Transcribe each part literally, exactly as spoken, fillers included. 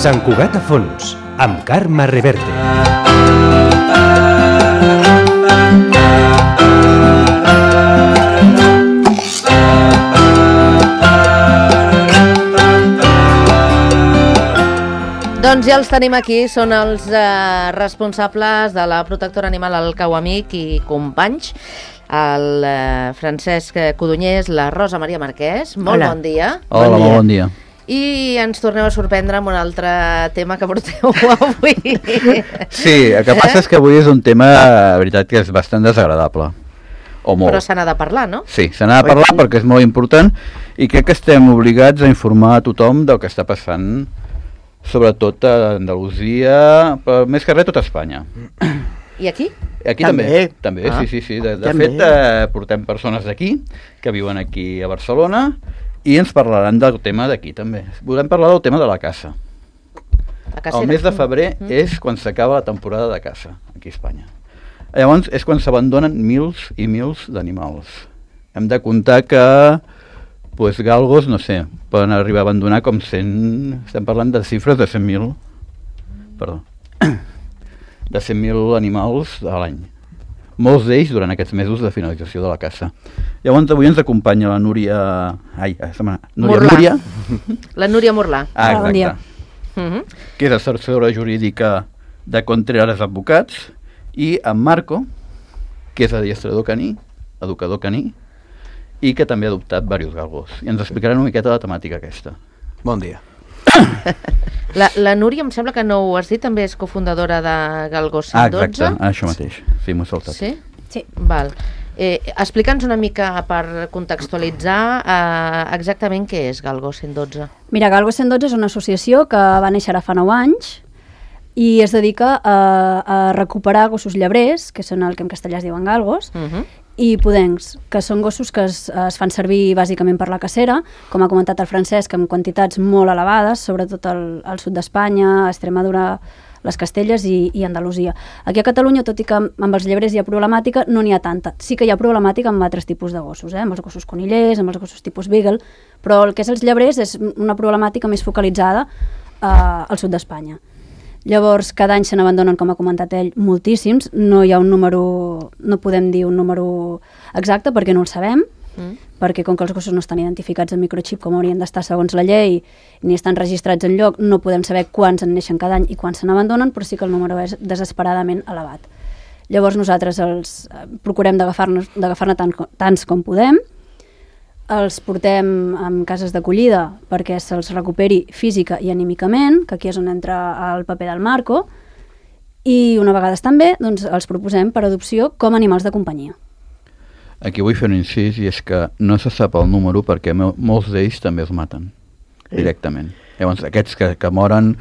Sant Cugat a fons, amb Carme Reverte. Doncs ja els tenim aquí, són els eh, responsables de la protectora animal al Cau Amic i companys, el eh, Francesc Codonyés, la Rosa Maria Marquès. Molt Hola. bon dia. Hola, bon dia. Molt bon dia. I ens torneu a sorprendre amb un altre tema que porteu avui. Sí, el que passa és que avui és un tema, la veritat, que és bastant desagradable. O molt. Però se n'ha de parlar, no? Sí, se n'ha de parlar perquè és molt important i crec que estem obligats a informar a tothom del que està passant, sobretot a Andalusia, però més que res tot Espanya. I aquí? Aquí també, també, també ah, sí, sí, sí. De, de fet, eh, portem persones d'aquí, que viuen aquí a Barcelona, i ens parlaran del tema d'aquí també. Volem parlar del tema de la caça. La el mes de febrer mm. és quan s'acaba la temporada de caça, aquí a Espanya. Llavors és quan s'abandonen mils i mils d'animals. Hem de comptar que pues, galgos, no sé, poden arribar a abandonar com cent... Estem parlant de xifres de cent mil... Perdó. De cent mil animals a l'any. Molts d'ells durant aquests mesos de finalització de la caça. Llavors avui ens acompanya la Núria... Ai, Núria Morlà. Núria. La Núria Morlà. Ah, exacte. Bon dia. Uh-huh. Que és assessora jurídica de Contreras Advocats, i en Marco, que és adiestrador caní, educador caní, i que també ha adoptat diversos galgos. I ens explicaran una miqueta la temàtica aquesta. Bon dia. La, la Núria, em sembla que no ho has dit, també és cofundadora de Galgos cent dotze. Ah, exacte, això mateix. Sí, m'ho he saltat. Sí? Sí. Val. Eh, Explica'ns una mica per contextualitzar eh, exactament què és Galgos cent dotze. Mira, Galgos cent dotze és una associació que va néixer ara fa nou anys i es dedica a, a recuperar gossos llebrers, que són el que en castellà es diuen galgos, Uh-huh. i pudencs, que són gossos que es, es fan servir bàsicament per la cacera, com ha comentat el Francesc, en quantitats molt elevades, sobretot al, al sud d'Espanya, Extremadura, les Castelles i, i Andalusia. Aquí a Catalunya, tot i que amb els llebrers hi ha problemàtica, no n'hi ha tanta. Sí que hi ha problemàtica amb altres tipus de gossos, eh? Amb els gossos conillers, amb els gossos tipus beagle, però el que és els llebrers és una problemàtica més focalitzada eh, al sud d'Espanya. Llavors, cada any se n'abandonen, com ha comentat ell, moltíssims. No hi ha un número, no podem dir un número exacte perquè no el sabem, mm. perquè com que els gossos no estan identificats en microxip com haurien d'estar segons la llei, ni estan registrats en lloc, no podem saber quants en neixen cada any i quants se n'abandonen, però sí que el número és desesperadament elevat. Llavors nosaltres els eh, procurem d'agafar-ne d'agafar-ne tant, tants com podem, els portem en cases d'acollida perquè se'ls recuperi física i anímicament, que aquí és on entra el paper del Marco, i una vegada estan bé, doncs els proposem per adopció com a animals de companyia. Aquí vull fer un incís, i és que no se sap el número perquè molts d'ells també els maten directament. Llavors aquests que, que moren,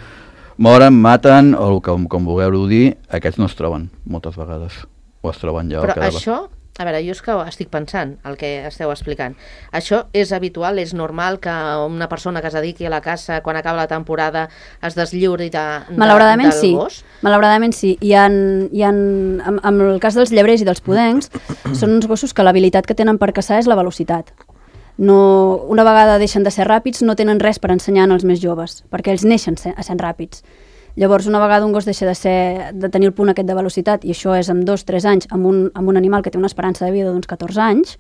moren, maten, o com, com vulgueu dir, aquests no es troben moltes vegades, o es troben ja. Però això... A veure, jo és que estic pensant el que esteu explicant. Això és habitual, és normal que una persona que es dediqui a la caça, quan acaba la temporada, es deslliuri de, de, Malauradament del sí. gos? Malauradament sí. Hi ha, hi ha, en, en el cas dels llebrers i dels pudencs, són uns gossos que l'habilitat que tenen per caçar és la velocitat. No, una vegada deixen de ser ràpids, no tenen res per ensenyar als més joves, perquè ells neixen a ser ràpids. Llavors, una vegada un gos deixa de, ser, de tenir el punt aquest de velocitat, i això és amb dos o tres anys, amb un, amb un animal que té una esperança de vida d'uns catorze anys,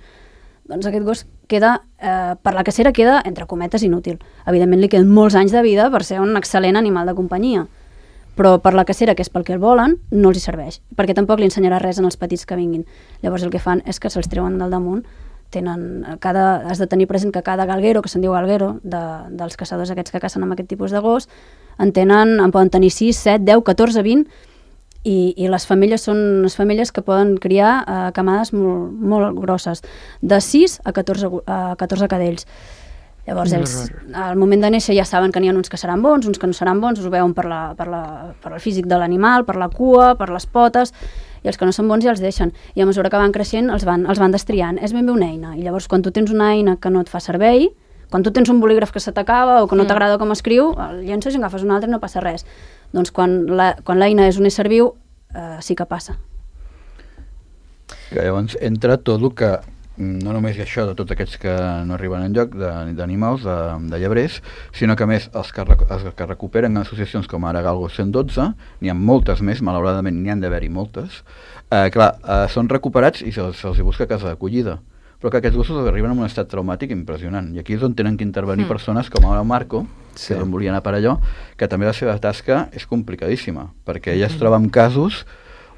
doncs aquest gos queda, eh, per la cacera queda, entre cometes, inútil. Evidentment li queden molts anys de vida per ser un excel·lent animal de companyia, però per la cacera, que és pel que el volen, no els hi serveix, perquè tampoc li ensenyarà res en els petits que vinguin. Llavors el que fan és que se'ls treuen del damunt. Tenen cada, has de tenir present que cada galguero, que se'n diu galguero, de, dels caçadors aquests que cacen amb aquest tipus de gos, en, tenen, en poden tenir sis, set, deu, catorze, vint, i, i les femelles són les femelles que poden criar eh, camades molt, molt grosses, de sis a catorze, a catorze cadells. Llavors ells, al moment de néixer, ja saben que n'hi ha uns que seran bons, uns que no seran bons, us ho veuen per, la, per, la, per el físic de l'animal, per la cua, per les potes, i els que no són bons ja els deixen. I a mesura que van creixent els van, els van destriant. És ben bé una eina. I llavors quan tu tens una eina que no et fa servei, quan tu tens un bolígraf que se t'acaba o que no mm. t'agrada com escriu, el llences i agafes un altre i no passa res. Doncs quan l'eina és un ésser viu, eh, sí que passa. Que llavors entra tot el que no només hi ha això de tots aquests que no arriben enlloc, d'animals, de, de llebrers, sinó que a més els que, els que recuperen associacions com ara Galgo cent dotze, n'hi ha moltes més, malauradament n'hi han d'haver-hi moltes, eh, clar, eh, són recuperats i se'ls se busca casa d'acollida, però que aquests gossos arriben en un estat traumàtic impressionant, i aquí és on tenen que intervenir mm. persones com ara Marco, sí. que no volia anar per allò, que també la seva tasca és complicadíssima, perquè ella es troba en casos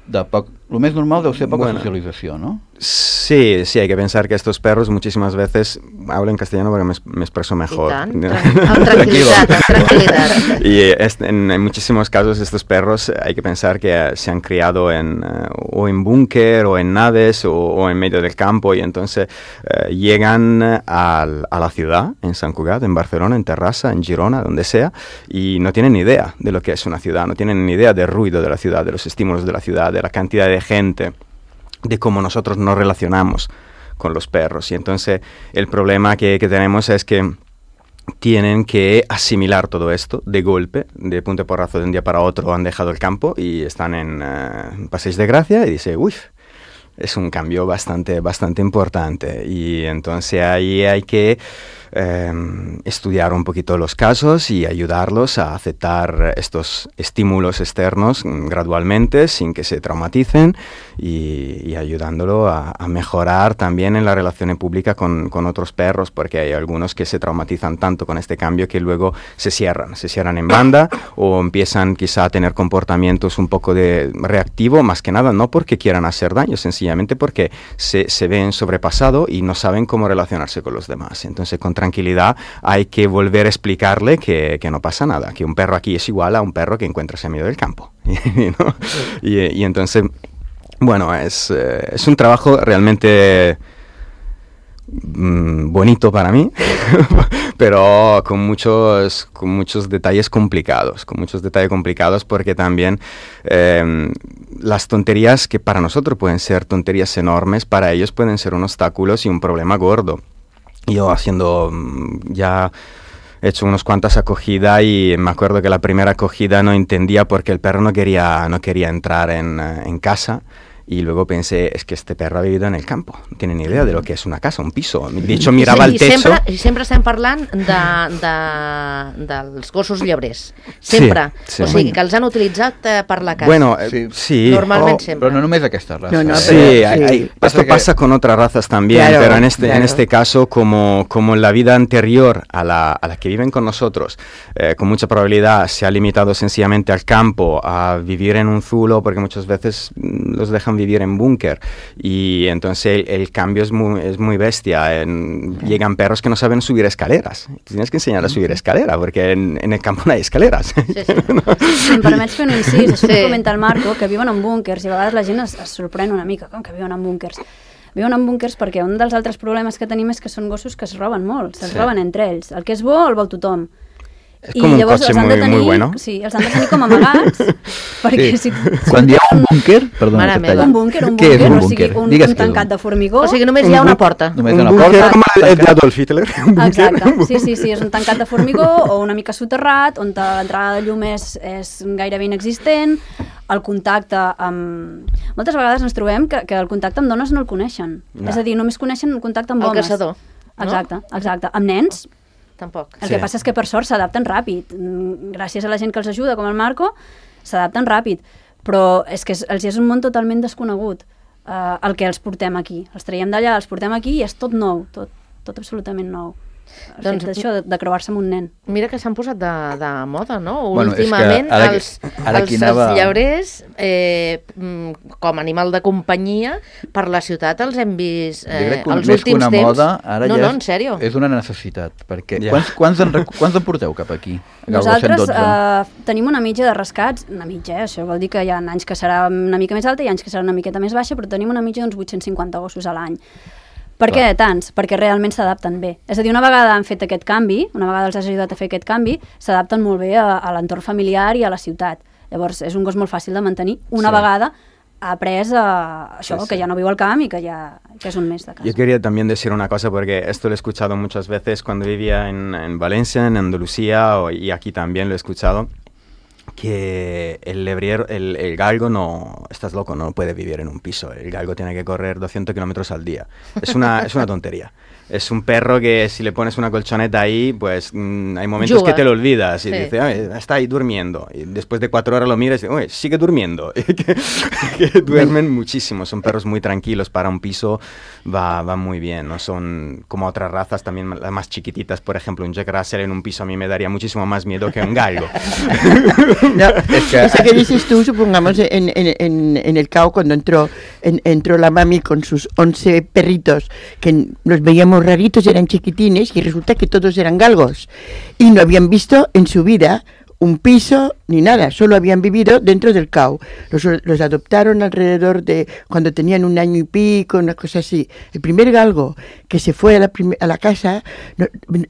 de poc, lo més normal deu ser poca bueno, socialización, ¿no? Sí, sí, hay que pensar que estos perros muchísimas veces, hablo en castellano porque me, me expreso mejor. Tranquilidad, tranquilidad. Y es, en, en muchísimos casos estos perros hay que pensar que se han criado en, uh, o en búnker o en naves o, o en medio del campo y entonces uh, llegan a, a la ciudad, en Sant Cugat, en Barcelona, en Terrassa, en Girona, donde sea, y no tienen ni idea de lo que es una ciudad, no tienen ni idea del ruido de la ciudad, de los estímulos de la ciudad, de la cantidad de gente, de cómo nosotros nos relacionamos con los perros. Y entonces el problema que, que tenemos es que tienen que asimilar todo esto de golpe, de punto y porrazo, de un día para otro han dejado el campo y están en uh, Passeig de Gracia y dice, uy, es un cambio bastante, bastante importante. Y entonces ahí hay que eh, estudiar un poquito los casos y ayudarlos a aceptar estos estímulos externos gradualmente, sin que se traumaticen y, y ayudándolo a, a mejorar también en la relación pública con, con otros perros, porque hay algunos que se traumatizan tanto con este cambio que luego se cierran, se cierran en banda o empiezan quizá a tener comportamientos un poco de reactivo, más que nada no porque quieran hacer daño, sencillamente porque se, se ven sobrepasados y no saben cómo relacionarse con los demás. Entonces, con tranquilidad hay que volver a explicarle que, que no pasa nada, que un perro aquí es igual a un perro que encuentras en medio del campo. ¿No? y, y entonces, bueno, es, eh, es un trabajo realmente mm, bonito para mí, pero con muchos, con muchos detalles complicados, con muchos detalles complicados porque también eh, las tonterías que para nosotros pueden ser tonterías enormes, para ellos pueden ser un obstáculo y un problema gordo. Yo haciendo ya he hecho unas cuantas acogidas y me acuerdo que la primera acogida no entendía por qué el perro no quería, no quería entrar en, en casa. Y luego pensé, es que este perro ha vivido en el campo, no tiene ni idea de lo que es una casa, un piso. De hecho, mirava sí, el techo... Sempre, sempre estem parlant de, de, dels gossos llebrers. Sempre. Sí, sí. O sigui, que els han utilitzat eh, per la casa. Bueno, sí. sí. Normalment oh, sempre. Però no només aquesta raza. No, no, sí, sí. Hay, hay, esto que... pasa con otras razas también, claro, pero en este, claro. en este caso, como, como la vida anterior a la, a la que viven con nosotros, eh, con mucha probabilidad se ha limitado sencillamente al campo, a vivir en un zulo, porque muchas veces los dejan vivir en búnker y entonces el, el cambio es muy, es muy bestia. En, llegan perros que no saben subir escaleras. Tienes que enseñar a subir escalera porque en, en el campo no hay escaleras. Sí, sí. No? Si em permets fer un incís, això sí. que comenta el Marco, que viuen en búnkers i a vegades la gent es, es sorprèn una mica, com que viuen en búnkers. Viuen en búnkers perquè un dels altres problemes que tenim és que són gossos que es roben molt, se'ls sí. roben entre ells. El que és bo el vol tothom. És com un cotxe muy, tenir, muy bueno. Sí, els han de tenir com amagats, perquè sí. si... Quan hi ha un búnquer, perdona, un búnquer, un búnquer, un o sigui, un, un tancat de formigó. O sigui, només hi ha una porta. Només un una porta. Com el d'Adolf Hitler. Exacte, sí, sí, sí, és un tancat de formigó o una mica soterrat, on l'entrada de llum és, és gairebé inexistent, el contacte amb... Moltes vegades ens trobem que, que el contacte amb dones no el coneixen. No. És a dir, només coneixen el contacte amb el homes. El caçador. Exacte, no? exacte. Amb nens... Tampoc. El sí. que passa és que per sort s'adapten ràpid. Gràcies a la gent que els ajuda, com el Marco, s'adapten ràpid. Però és que els és un món totalment desconegut uh, el que els portem aquí. Els traiem d'allà, els portem aquí i és tot nou, tot, tot absolutament nou. El doncs, fet d'això, de, de creuar-se amb un nen. Mira que s'han posat de, de moda, no? Bueno, últimament ara, els, ara els, anava... els llebrers eh, com a animal de companyia per la ciutat els hem vist eh, els últims temps. Moda, ara no, ja no, en sèrio. És una necessitat, perquè yeah. quants, quants, en, quants en porteu cap aquí? Nosaltres eh, tenim una mitja de rescats, una mitja, eh? Això vol dir que hi ha anys que serà una mica més alta i anys que serà una miqueta més baixa, però tenim una mitja d'uns vuit-cents cinquanta gossos a l'any. Per què tants? Perquè realment s'adapten bé. És a dir, una vegada han fet aquest canvi, una vegada els has ajudat a fer aquest canvi, s'adapten molt bé a, a l'entorn familiar i a la ciutat. Llavors, és un gos molt fàcil de mantenir. Una sí. vegada ha après a això, sí, sí. que ja no viu al camp i que ja que és un mes de casa. Yo quería también decir una cosa, porque esto lo he escuchado muchas veces cuando vivía en, en Valencia, en Andalucía, o, y aquí también lo he escuchado, que el lebriero, el, el galgo no, estás loco, no puede vivir en un piso. El galgo tiene que correr doscientos kilómetros al día. Es una, es una tontería. Es un perro que si le pones una colchoneta ahí, pues mmm, hay momentos Juga. que te lo olvidas y sí. dices, está ahí durmiendo. Y después de cuatro horas lo miras y dices, oye, sigue durmiendo. que, que duermen muchísimo. Son perros muy tranquilos. Para un piso va, va muy bien. No son como otras razas también las más chiquititas. Por ejemplo, un Jack Russell en un piso a mí me daría muchísimo más miedo que un galgo. No, es que... Eso que dices tú, supongamos, en, en, en, en el C A O, cuando entró, en, entró la mami con sus once perritos, que los veíamos raritos, eran chiquitines, y resulta que todos eran galgos. Y no habían visto en su vida un piso ni nada, solo habían vivido dentro del C A O. Los, los adoptaron alrededor de cuando tenían un año y pico, una cosa así. El primer galgo que se fue a la, a la casa, no,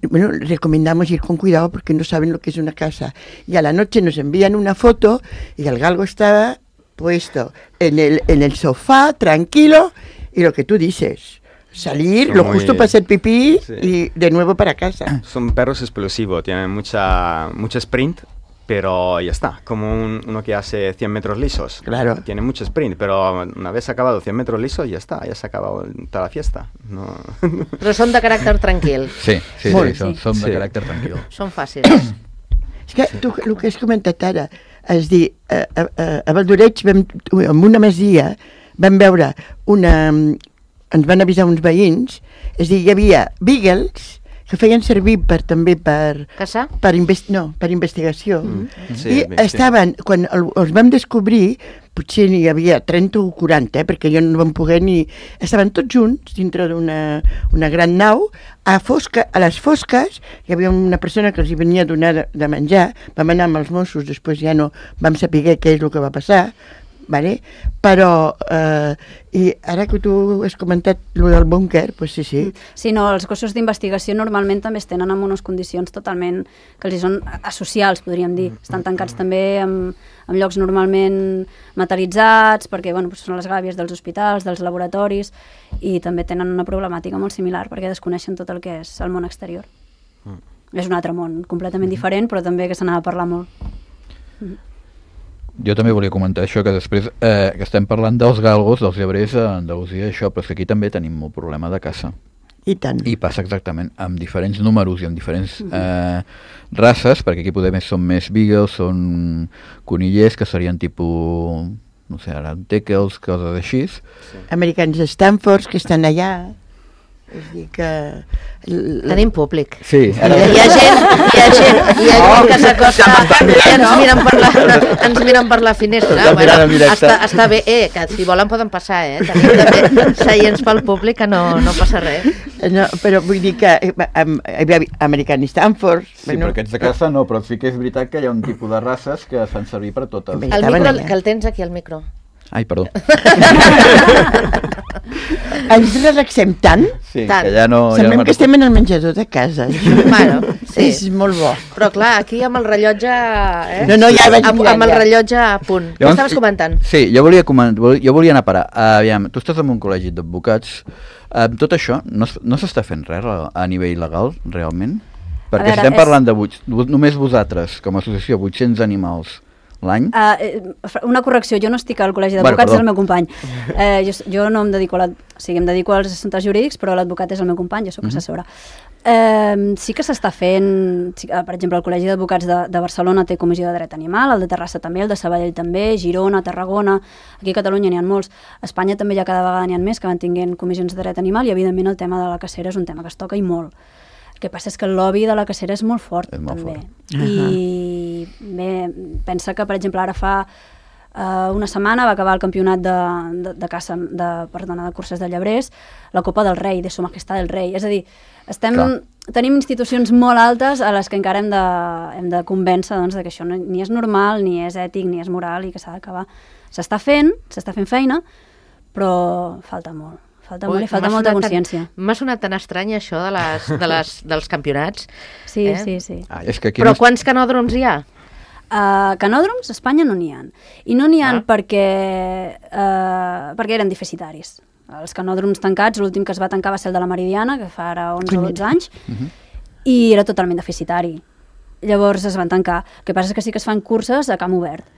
bueno, recomendamos ir con cuidado porque no saben lo que es una casa. Y a la noche nos envían una foto y el galgo estaba puesto en el, en el sofá, tranquilo, y lo que tú dices, salir, Son lo muy... justo para hacer pipí sí. y de nuevo para casa. Son perros explosivos, tienen mucha, mucha sprint, pero ya está, como un, uno que hace cien metros lisos. Claro. Tiene mucho sprint, pero una vez acabado cien metros lisos, ya está, ya se ha acabado toda la fiesta. No. Però són de caràcter tranquil. Sí, sí, Molt, sí, són, sí. són de Sí. caràcter tranquil. Són fàcils. És que tu, el que has comentat ara, és dir, a, a, a Valdoreig, vam, en una masia, vam veure una... ens van avisar uns veïns, és dir, hi havia beagles que feien servir per, també per... Caçar? Per, invest, no, per investigació. Mm. Sí, I bé, estaven, sí. quan el, els vam descobrir, potser n'hi havia trenta o quaranta, eh, perquè jo no vam poder ni... Estaven tots junts dintre d'una una gran nau, a, fosca, a les fosques hi havia una persona que els hi venia a donar de, de menjar, vam anar amb els Mossos, després ja no vam saber què és el que va passar, vale? Però eh, i ara que tu has comentat lo del búnquer, pues sí, sí. Sí, no, els gossos d'investigació normalment també es tenen en unes condicions totalment que els hi són asocials, podríem dir. Estan tancats també en, en llocs normalment metalitzats, perquè bueno, són les gàbies dels hospitals, dels laboratoris, i també tenen una problemàtica molt similar, perquè desconeixen tot el que és el món exterior. Mm. És un altre món, completament diferent, però també que se n'ha de parlar molt. Mm. Jo també volia comentar això, que després eh, que estem parlant dels galgos, dels llebrers a Andalusia, això, però és que aquí també tenim un problema de caça. I tant. I passa exactament amb diferents números i amb diferents eh, races, perquè aquí poder més són més beagles, són conillers que serien tipus, no sé, ara teckels, coses així. Sí. Americans Stanfords que estan allà. És dir que... La... Tenim públic. Sí. Ara... Hi ha gent, hi ha gent, hi ha gent que s'acosta i ens miren per la, ens miren per la finestra. Bueno, està, està bé, eh, que si volen poden passar, eh. Tenim també seients pel públic que no, no passa res. No, però vull dir que um, American Stanford... Sí, bueno, però aquests de casa no, però sí que és veritat que hi ha un tipus de races que es fan servir per totes. El micro, que el tens aquí, el micro. Ai, perdó. Ens relaxem tant, sí, tant. Que ja no... semblem ja que estem en el menjador de casa. Bueno, sí. És molt bo. Però clar, aquí amb el rellotge... Eh? No, no, ja vaig amb, amb el rellotge a punt. Què estaves comentant? Sí, jo volia, jo volia anar a parar. Uh, aviam, tu estàs en un col·legi d'advocats. Uh, tot això, no, no s'està fent res a nivell legal, realment? Perquè veure, estem és... parlant de vuit, només vosaltres, com a associació, vuit-cents animals l'any. Uh, una correcció, jo no estic al col·legi d'advocats, bueno, és el meu company. Uh, jo, jo no em dedico a l'advocat, o sigui, em dedico als assumptes jurídics, però l'advocat és el meu company, jo soc mm-hmm. assessora. Uh, sí que s'està fent, sí, per exemple, el Col·legi d'Advocats de, de Barcelona té comissió de dret animal, el de Terrassa també, el de Sabadell també, Girona, Tarragona, aquí a Catalunya n'hi ha molts. A Espanya també ja cada vegada n'hi ha més que van tinguent comissions de dret animal i evidentment el tema de la cacera és un tema que es toca i molt. El que passa és que el lobby de la cacera és molt fort, és molt també. Fort. I bé, pensa que, per exemple, ara fa uh, una setmana va acabar el campionat de, de, de caça, de, perdona, de curses de llebrers, la Copa del Rei, de Su Majestat del Rei. És a dir, estem, tenim institucions molt altes a les que encara hem de, hem de convèncer doncs, de que això no, ni és normal, ni és ètic, ni és moral i que s'ha d'acabar. S'està fent, s'està fent feina, però falta molt. Falta Ui, molt i falta molta consciència. M'ha sonat tan estrany això de les, de les, dels campionats. Sí, eh? sí, sí. Ah, és que aquí Però no... quants canòdroms hi ha? Uh, canòdroms a Espanya no n'hi ha. I no n'hi ha ah. perquè, uh, perquè eren deficitaris. Els canòdroms tancats, l'últim que es va tancar va ser el de la Meridiana, que fa ara onze o dotze anys, uh-huh. i era totalment deficitari. Llavors es van tancar. El que passa és que sí que es fan curses a camp obert.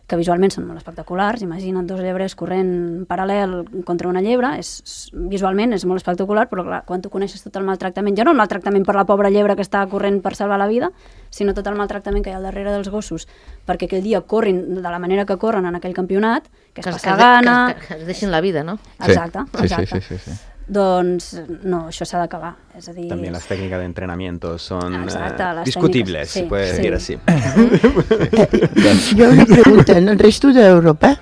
que visualment són molt espectaculars. Imagina't dos llebrers corrent paral·lel contra una llebre, és, visualment és molt espectacular, però clar, quan tu coneixes tot el maltractament, ja no el maltractament per la pobra llebre que està corrent per salvar la vida, sinó tot el maltractament que hi ha al darrere dels gossos, perquè aquell dia corrin de la manera que corren en aquell campionat, que és passar gana... Que, que, que es deixin la vida, no? Exacte, sí, exacte. Sí, sí, sí, sí. Doncs no, això s'ha d'acabar. És a dir... También las técnicas de entrenamiento son Exacte, uh, les discutibles, tècniques, se sí, puede sí. decir así. Eh, jo una pregunta, en el resto d'Europa,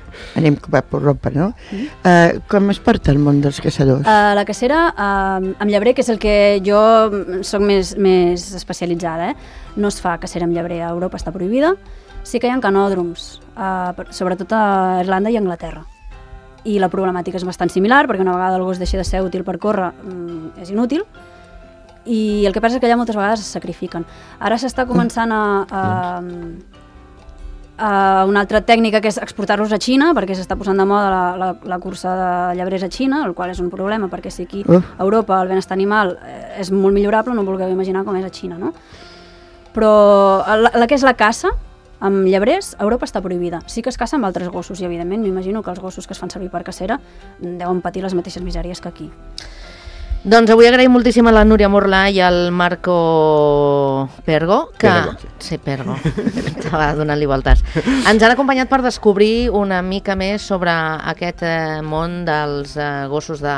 anem cap a Europa, no? Uh, com es porta el món dels caçadors? Uh, la cacera uh, amb llebrer, que és el que jo sóc més, més especialitzada, eh? No es fa cacera amb llebrer, a Europa està prohibida. Sí que hi ha canòdroms, uh, sobretot a Irlanda i a Anglaterra. I la problemàtica és bastant similar, perquè una vegada el gos deixa de ser útil per córrer, mm, és inútil, i el que passa és que allà moltes vegades es sacrifiquen. Ara s'està començant a, a, a una altra tècnica, que és exportar-los a Xina, perquè s'està posant de moda la, la, la cursa de llebrers a Xina, el qual és un problema, perquè si aquí a Europa el benestar animal és molt millorable, no vulgueu imaginar com és a Xina, no? Però la, la que és la caça, amb llebrers, a Europa està prohibida. Sí que es caça amb altres gossos i, evidentment, m'imagino que els gossos que es fan servir per cacera deuen patir les mateixes misèries que aquí. Doncs avui agraïm moltíssim a la Núria Morlà i al Marco Pergo, que... Pergo, sí. Sí, Pergo, estava donant-li voltes. Ens han acompanyat per descobrir una mica més sobre aquest eh, món dels eh, gossos de,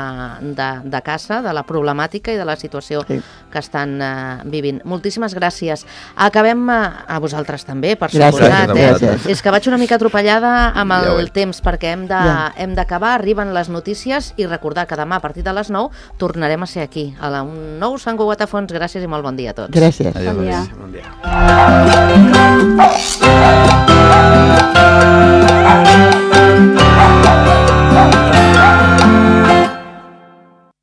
de, de caça, de la problemàtica i de la situació sí. que estan eh, vivint. Moltíssimes gràcies. Acabem eh, a vosaltres també, per suposat. Eh? És que vaig una mica atropellada amb el ja temps, perquè hem de, ja. hem d'acabar, arriben les notícies, i recordar que demà a partir de les nou tornarem a ser aquí, a la, un nou Sant Cugat a Fons. Gràcies i molt bon dia a tots. Gràcies. Adiós, Bon dia. bon dia. Thank you.